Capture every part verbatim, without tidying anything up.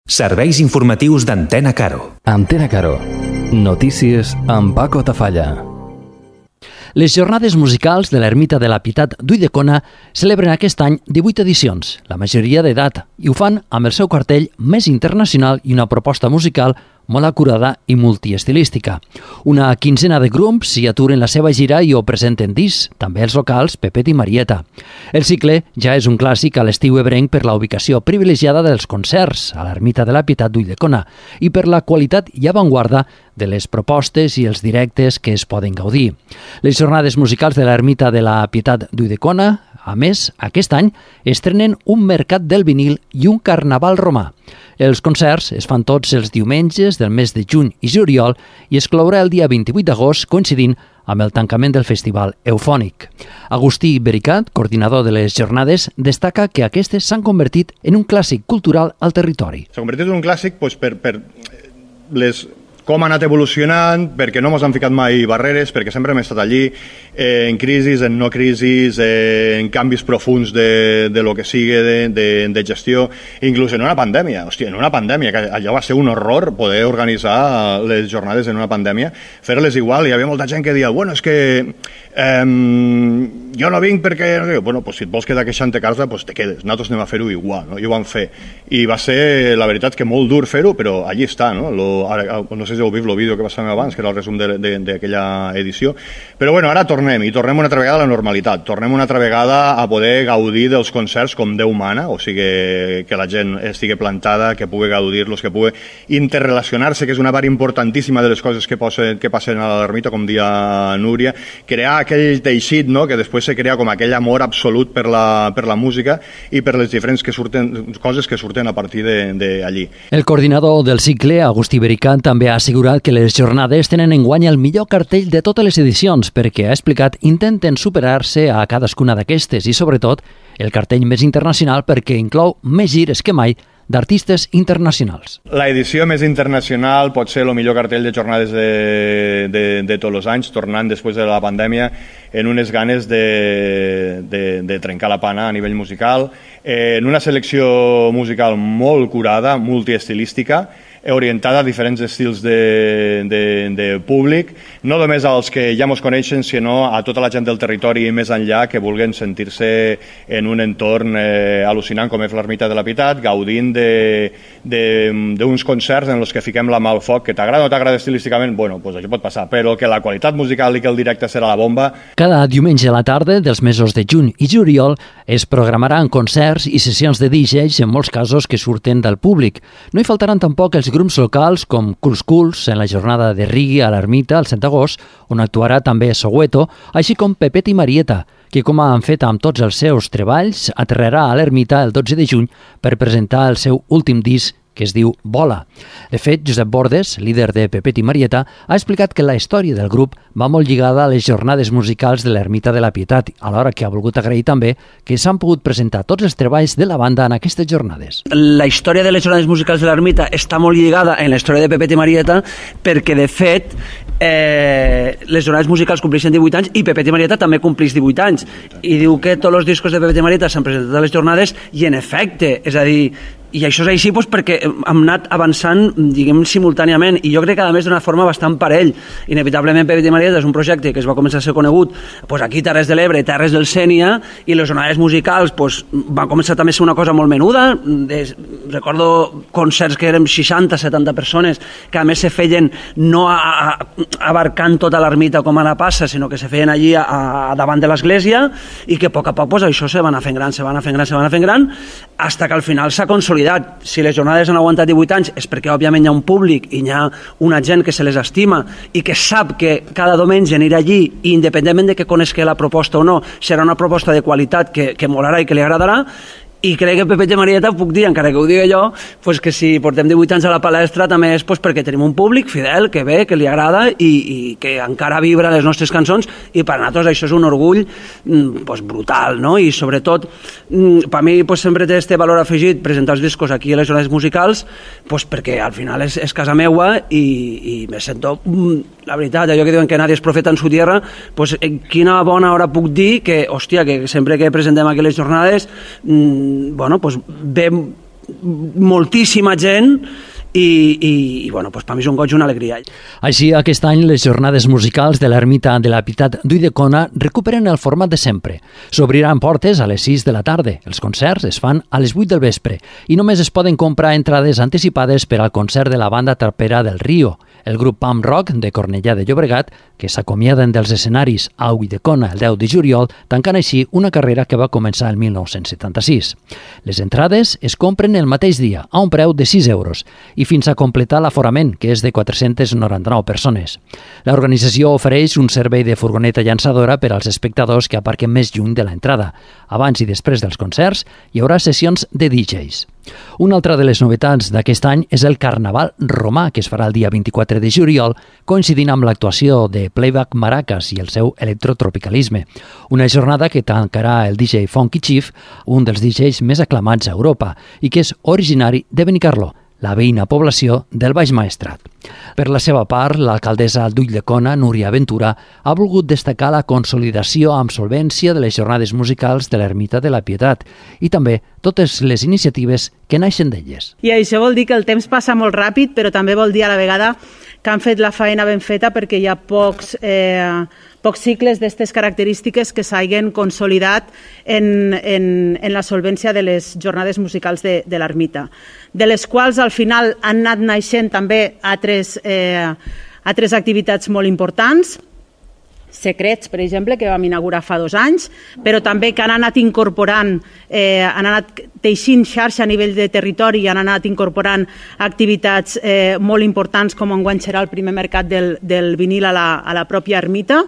Serveis informatius d'Antena Caro. Antena Caro. Notícies amb Paco Tafalla. Les jornades musicals de l'Ermita de la Pietat d'Ulldecona celebren aquest any divuit edicions, la majoria d'edat, i ho fan amb el seu cartell més internacional i una proposta musical molt acurada i multiestilística. Una quinzena de grups s'hi aturen la seva gira i ho presenten discs, també els locals Pepet i Marieta. El cicle ja és un clàssic a l'estiu ebrenc per la ubicació privilegiada dels concerts a l'Ermita de la Pietat d'Ulldecona i per la qualitat i avantguarda de les propostes i els directes que es poden gaudir. Les jornades musicals de l'Ermita de la Pietat d'Ulldecona, a més, aquest any estrenen un mercat del vinil i un carnaval romà. Els concerts es fan tots els diumenges del mes de juny i juliol i es clourà el dia vint-i-vuit d'agost coincidint amb el tancament del Festival Eufònic. Agustí Bericat, coordinador de les jornades, destaca que aquestes s'han convertit en un clàssic cultural al territori. S'ha convertit en un clàssic doncs, per, per les... com ha anat evolucionant, perquè no ens han ficat mai barreres, perquè sempre hem estat allí, eh, en crisis, en no crisis, eh, en canvis profuns de, de lo que sigui de, de, de gestió, inclús en una pandèmia. Hòstia, en una pandèmia, que allò va ser un horror poder organitzar les jornades en una pandèmia, fer-les igual. Hi havia molta gent que deia, bueno, és que eh, jo no vinc perquè... Bueno, pues, si et vols quedar queixant a casa, pues te quedes. Nosaltres anem a fer-ho igual, no? I ho vam fer. I va ser, la veritat, que molt dur fer-ho, però allí està, no? Lo, ara, no sé si heu vist el vídeo que passàvem abans, que era el resum d'aquella edició. Però bueno, ara tornem, i tornem una altra vegada a la normalitat. Tornem una altra vegada a poder gaudir dels concerts com Déu mana, o sigui, que la gent estigui plantada, que pugui gaudir-los, que pugui interrelacionar-se, que és una part importantíssima de les coses que, posen, que passen a l'ermita, com dia Núria, crear aquell teixit, no?, que després se crea com aquell amor absolut per la, per la música i per les diferents que surten, coses que surten a partir d'allí. El coordinador del cicle, Agustí Bericat, també ha assegurat que les jornades tenen enguany el millor cartell de totes les edicions perquè, ha explicat, intenten superar-se a cadascuna d'aquestes i, sobretot, el cartell més internacional perquè inclou més gires que mai d'artistes internacionals. La edició més internacional pot ser el millor cartell de jornades de, de, de tots els anys, tornant després de la pandèmia en unes ganes de, de, de trencar la pana a nivell musical, eh, en una selecció musical molt curada, multiestilística, orientada a diferents estils de, de, de públic, no només als que ja ens coneixen, sinó a tota la gent del territori i més enllà que vulguin sentir-se en un entorn eh, al·lucinant com és l'Ermita de la Pietat, gaudint d'uns concerts en els que fiquem la mà al foc. Que t'agrada o no t'agrada estilísticament, bueno, pues això pot passar, però que la qualitat musical i que el directe serà la bomba. Cada diumenge a la tarda dels mesos de juny i juliol es programaran concerts i sessions de D Js, en molts casos que surten del públic. No hi faltaran tampoc els grups locals com Culs Culs en la jornada de reggae a l'Ermita el set d'agost, on actuarà també Soweto, així com Pepet i Marieta, que, com han fet amb tots els seus treballs, aterrarà a l'Ermita el dotze de juny per presentar el seu últim disc, que es diu Bola. De fet, Josep Bordes, líder de Pepet i Marieta, ha explicat que la història del grup va molt lligada a les jornades musicals de l'Ermita de la Pietat, alhora que ha volgut agrair també que s'han pogut presentar tots els treballs de la banda en aquestes jornades. La història de les jornades musicals de l'Ermita està molt lligada en la història de Pepet i Marieta perquè, de fet, eh, les jornades musicals compleixen divuit anys i Pepet i Marieta també compleix divuit anys. I diu que tots els discos de Pepet i Marieta s'han presentat a les jornades i, en efecte, és a dir, i això és així doncs, perquè hem anat avançant, diguem, simultàniament, i jo crec que a més d'una forma bastant parell. Inevitablement Pepet i Marieta és un projecte que es va començar a ser conegut doncs, aquí Terres de l'Ebre, Terres del Sénia, i les jornades musicals doncs, van començar també a ser una cosa molt menuda. Des, recordo concerts que eren seixanta setanta persones, que a més se feien no a, a, abarcant tota l'ermita com ara passa, sinó que se feien allí a, a davant de l'església, i que a poc a poc doncs, això se va anar fent gran, se va anar fent gran, se va anar fent gran, fins que al final s'ha consolidat. Si les jornades han aguantat divuit anys és perquè òbviament hi ha un públic i hi ha una gent que se les estima i que sap que cada diumenge anirà allí i independentment de que conegui la proposta o no, serà una proposta de qualitat que, que molarà i que li agradarà. I crec que Pepet i Marieta puc dir, encara que ho digui jo, pues que si portem divuit anys a la palestra també és pues perquè tenim un públic fidel, que ve, que li agrada i, i que encara vibra les nostres cançons, i per nosaltres això és un orgull pues, brutal, no? I sobretot per mi pues, sempre té este valor afegit presentar els discos aquí a les jornades musicals pues, perquè al final és, és casa meua i, i me sento, la veritat, allò que diuen que nadie és profeta en su tierra, pues, quina bona hora puc dir que, hòstia, que sempre que presentem aquí les jornades bueno, pues ve moltíssima gent i, i, i bueno, pues per mi és un goig i una alegria. Així, aquest any les jornades musicals de l'Ermita de la Pietat d'Ulldecona recuperen el format de sempre. S'obriran portes a les sis de la tarda. Els concerts es fan a les vuit del vespre i només es poden comprar entrades anticipades per al concert de la banda trapera del Rio, el grup punk rock de Cornellà de Llobregat, que s'acomiaden dels escenaris a Ulldecona el deu de juliol, tancant així una carrera que va començar el mil nou-cents setanta-sis. Les entrades es compren el mateix dia, a un preu de sis euros, i fins a completar l'aforament, que és de quatre-centes noranta-nou persones. L'organització ofereix un servei de furgoneta llançadora per als espectadors que aparquen més lluny de l'entrada. Abans i després dels concerts hi haurà sessions de D Js. Una altra de les novetats d'aquest any és el Carnaval Romà, que es farà el dia vint-i-quatre de juliol, coincidint amb l'actuació de Playback Maracas i el seu electrotropicalisme. Una jornada que tancarà el D J Funky Chief, un dels D Js més aclamats a Europa, i que és originari de Benicarló, la veïna població del Baix Maestrat. Per la seva part, l'alcaldessa d'Ulldecona, Núria Ventura, ha volgut destacar la consolidació amb solvència de les jornades musicals de l'Ermita de la Pietat i també totes les iniciatives que naixen d'elles. I això vol dir que el temps passa molt ràpid, però també vol dir a la vegada que han fet la feina ben feta perquè hi ha pocs, eh, pocs cicles d'aquestes característiques que s'hagin consolidat en, en, en la solvència de les jornades musicals de, de l'Ermita, de les quals al final han anat naixent també altres, eh, altres activitats molt importants, Secrets, per exemple, que vam inaugurar fa dos anys, però també que han anat incorporant, eh, han anat teixint xarxa a nivell de territori i han anat incorporant activitats eh, molt importants, com enguany serà el primer mercat del, del vinil a la, a la pròpia ermita,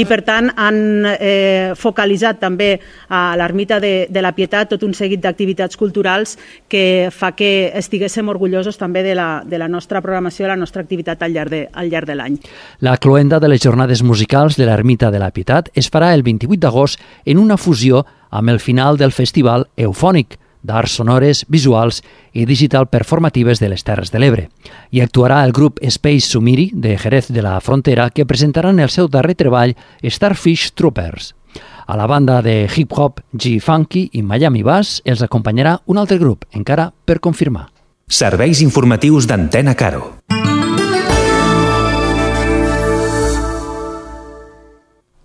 i per tant han eh, focalitzat també a l'Ermita de, de la Pietat tot un seguit d'activitats culturals que fa que estiguéssim orgullosos també de la, de la nostra programació, de la nostra activitat al llarg de, al llarg de l'any. La cloenda de les jornades musicals de l'Ermita de la Pietat es farà el vint-i-vuit d'agost en una fusió amb el final del festival Eufònic, d'arts sonores, visuals i digital performatives de les Terres de l'Ebre. Hi actuarà el grup Space Sumiri de Jerez de la Frontera, que presentaran el seu darrer treball Starfish Troopers. A la banda de hip-hop G-Funky i Miami Bass els acompanyarà un altre grup, encara per confirmar. Serveis informatius d'Antena Caro.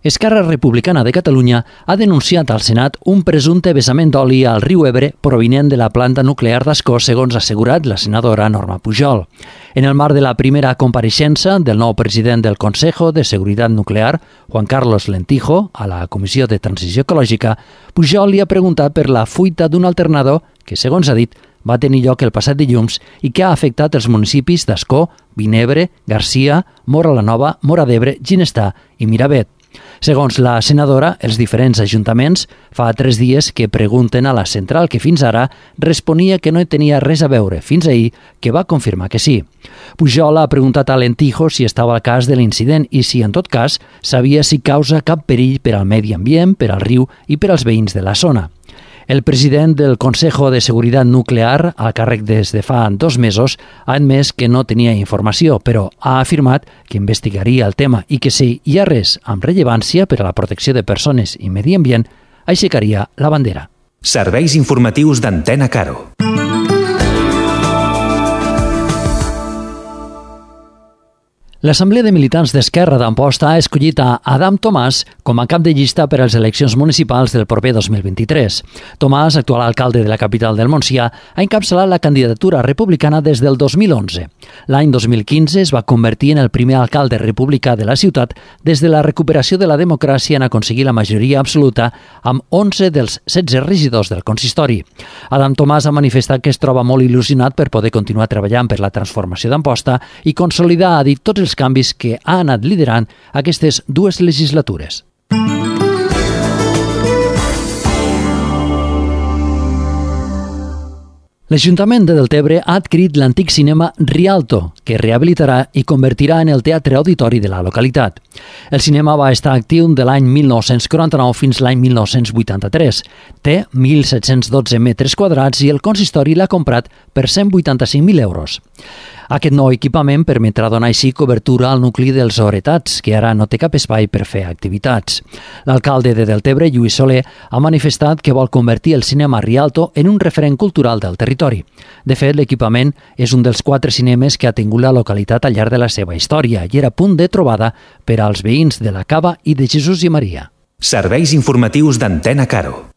Esquerra Republicana de Catalunya ha denunciat al Senat un presumpte vessament d'oli al riu Ebre provinent de la planta nuclear d'Ascó, segons ha assegurat la senadora Norma Pujol. En el marc de la primera compareixença del nou president del Consejo de Seguridad Nuclear, Juan Carlos Lentijo, a la Comissió de Transició Ecològica, Pujol li ha preguntat per la fuita d'un alternador que, segons ha dit, va tenir lloc el passat dilluns i que ha afectat els municipis d'Ascó, Vinebre, Garcia, Móra la Nova, Móra d'Ebre, Ginestar i Miravet. Segons la senadora, els diferents ajuntaments fa tres dies que pregunten a la central, que fins ara responia que no hi tenia res a veure, fins ahir que va confirmar que sí. Pujol ha preguntat a Lentijo si estava al cas de l'incident i si, en tot cas, sabia si causa cap perill per al medi ambient, per al riu i per als veïns de la zona. El president del Consejo de Seguridad Nuclear, al càrrec des de fa dos mesos, ha admès que no tenia informació, però ha afirmat que investigaria el tema i que si hi ha res amb rellevància per a la protecció de persones i medi ambient, aixecaria la bandera. Serveis informatius d'Antena Caro. L'Assemblea de Militants d'Esquerra d'Amposta ha escollit a Adam Tomàs com a cap de llista per a les eleccions municipals del proper dos mil vint-i-tres. Tomàs, actual alcalde de la capital del Montsià, ha encapçalat la candidatura republicana des del dos mil onze. L'any dos mil quinze es va convertir en el primer alcalde republicà de la ciutat des de la recuperació de la democràcia en aconseguir la majoria absoluta amb onze dels setze regidors del consistori. Adam Tomàs ha manifestat que es troba molt il·lusionat per poder continuar treballant per la transformació d'Amposta i consolidar, ha dit, tots els canvis que ha anat liderant aquestes dues legislatures. L'Ajuntament de Deltebre ha adquirit l'antic cinema Rialto, que rehabilitarà i convertirà en el teatre auditori de la localitat. El cinema va estar actiu de l'any mil nou-cents quaranta-nou fins l'any mil nou-cents vuitanta-tres. Té mil set-cents dotze metres quadrats i el consistori l'ha comprat per cent vuitanta-cinc mil euros. Aquest nou equipament permetrà donar així cobertura al nucli dels Oretats, que ara no té cap espai per fer activitats. L'alcalde de Deltebre, Lluís Soler, ha manifestat que vol convertir el cinema Rialto en un referent cultural del territori. De fet, l'equipament és un dels quatre cinemes que ha tingut la localitat al llarg de la seva història i era punt de trobada per als veïns de la Cava i de Jesús i Maria. Serveis informatius d'Antena Caro.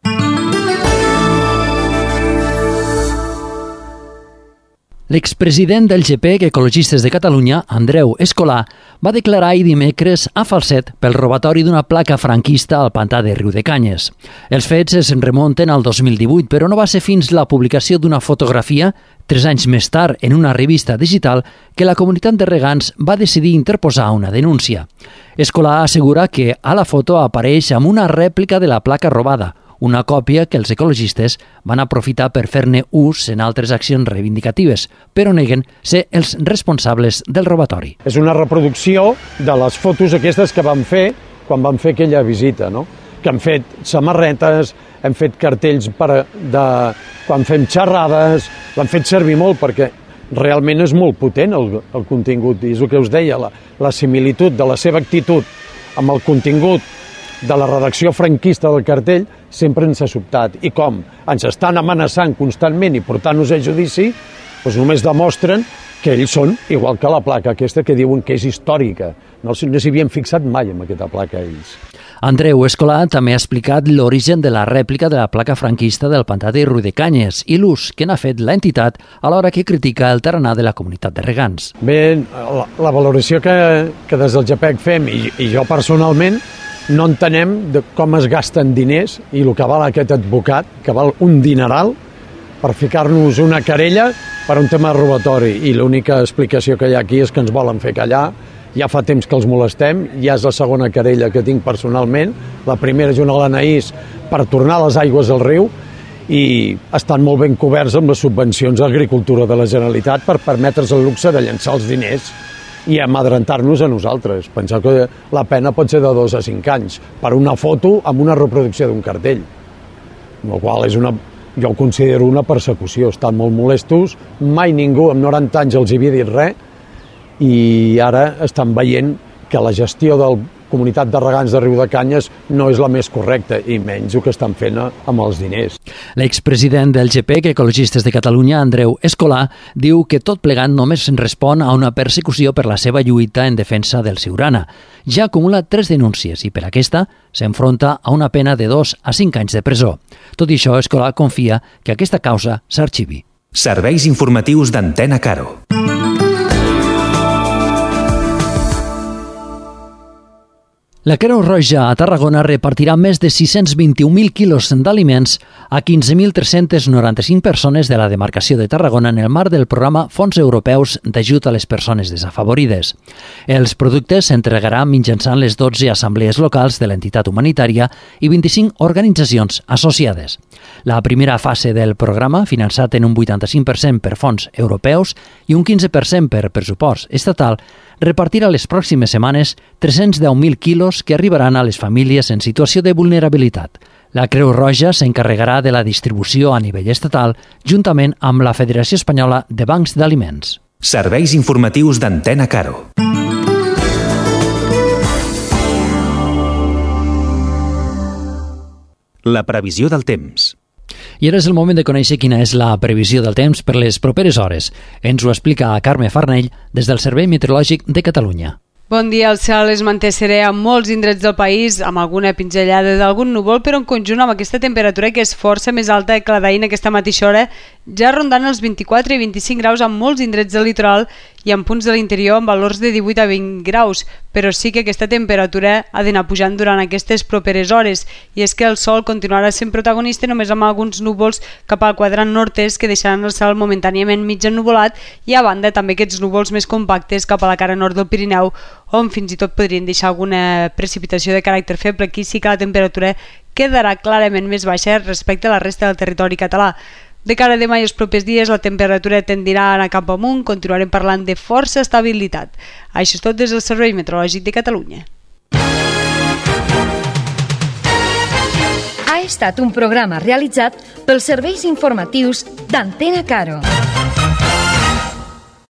L'expresident del G P E C Ecologistes de Catalunya, Andreu Escolà, va declarar ahir dimecres a Falset pel robatori d'una placa franquista al pantà de Riudecanyes. Els fets es remunten al dos mil divuit, però no va ser fins la publicació d'una fotografia, tres anys més tard, en una revista digital, que la comunitat de regants va decidir interposar una denúncia. Escolà assegura que a la foto apareix amb una rèplica de la placa robada, una còpia que els ecologistes van aprofitar per fer-ne ús en altres accions reivindicatives, però neguen ser els responsables del robatori. És una reproducció de les fotos aquestes que vam fer quan vam fer aquella visita, no? Que hem fet samarretes, hem fet cartells per de, quan fem xerrades, l'hem fet servir molt perquè realment és molt potent el, el contingut, i és el que us deia, la, la similitud de la seva actitud amb el contingut de la redacció franquista del cartell sempre ens ha sobtat. I com ens estan amenaçant constantment i portant-nos a judici, doncs només demostren que ells són igual que la placa aquesta que diuen que és històrica. No, no s'hi havien fixat mai en aquesta placa ells. Andreu Escolà també ha explicat l'origen de la rèplica de la placa franquista del pantà de Riudecanyes i l'ús que n'ha fet l'entitat a l'hora que critica el tarannà de la comunitat de regants. Bé, la, la valoració que, que des del G P E C fem, i, i jo personalment, no entenem de com es gasten diners i el que val aquest advocat, que val un dineral, per ficar-nos una querella per un tema de robatori. I l'única explicació que hi ha aquí és que ens volen fer callar. Ja fa temps que els molestem, ja és la segona querella que tinc personalment. La primera és una a l'Anaís per tornar les aigües al riu i estan molt ben coberts amb les subvencions a l'agricultura de la Generalitat per permetre's el luxe de llançar els diners i amadrentar-nos a nosaltres. Penseu que la pena pot ser de dos a cinc anys per una foto amb una reproducció d'un cartell. El qual és una, jo ho considero una persecució. Estan molt molestos, mai ningú amb noranta anys els havia dit res i ara estan veient que la gestió de la comunitat de regants de Riudecanyes no és la més correcta i menys el que estan fent amb els diners. L'expresident del G P E C Ecologistes de Catalunya, Andreu Escolà, diu que tot plegat només respon a una persecució per la seva lluita en defensa del Siurana. Ja acumula tres denúncies i per aquesta s'enfronta a una pena de dos a cinc anys de presó. Tot i això, Escolà confia que aquesta causa s'arxivi. Serveis informatius d'Antena Caro. La Creu Roja a Tarragona repartirà més de sis-cents vint-i-un mil quilos d'aliments a quinze mil tres-cents noranta-cinc persones de la demarcació de Tarragona en el marc del programa Fons Europeus d'Ajut a les Persones Desafavorides. Els productes s'entregaran mitjançant les dotze assemblees locals de l'entitat humanitària i vint-i-cinc organitzacions associades. La primera fase del programa, finançat en un vuitanta-cinc per cent per fons europeus i un quinze per cent per pressupost estatal, repartirà les pròximes setmanes tres-cents deu mil quilos que arribaran a les famílies en situació de vulnerabilitat. La Creu Roja s'encarregarà de la distribució a nivell estatal juntament amb la Federació Espanyola de Bancs d'Aliments. Serveis informatius d'Antena Caro. La previsió del temps. I ara és el moment de conèixer quina és la previsió del temps per les properes hores. Ens ho explica Carme Farnell des del Servei Meteorològic de Catalunya. Bon dia, el cel es manté serè a molts indrets del país, amb alguna pinzellada d'algun núvol, però en conjunt amb aquesta temperatura que és força més alta que la d'ahir en aquesta mateixa hora, ja rondant els vint-i-quatre i vint-i-cinc graus en molts indrets del litoral i en punts de l'interior amb valors de divuit a vint graus, però sí que aquesta temperatura ha d'anar pujant durant aquestes properes hores, i és que el sol continuarà sent protagonista només amb alguns núvols cap al quadrant nord-est que deixaran el cel momentàniament mig ennuvolat i a banda també aquests núvols més compactes cap a la cara nord del Pirineu, on fins i tot podrien deixar alguna precipitació de caràcter feble. Aquí sí que la temperatura quedarà clarament més baixa respecte a la resta del territori català. De cara a demà i els propers dies, la temperatura tendirà a anar cap amunt, continuarem parlant de força estabilitat. Això és tot des del Servei Meteorològic de Catalunya. Ha estat un programa realitzat pels serveis informatius d'Antena Caro.